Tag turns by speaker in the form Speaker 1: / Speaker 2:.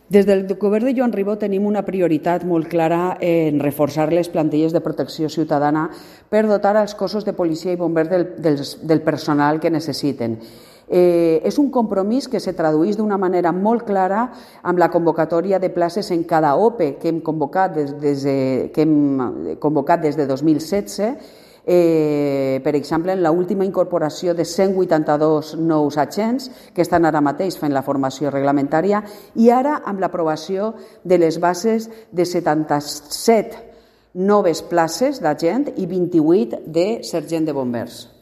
Speaker 1: Des del govern de Joan Ribó tenim una prioritat molt clara en reforçar les plantilles de protecció ciutadana per dotar els cossos de policia i bombers del personal que necessiten. És un compromís que se tradueix d'una manera molt clara amb la convocatòria de places en cada OPE que hem convocat des de 2016. Per exemple, en l'última incorporació de 182 nous agents que estan ara mateix fent la formació reglamentària i ara amb l'aprovació de les bases de 77 noves places d'agent i 28 de sergent de bombers.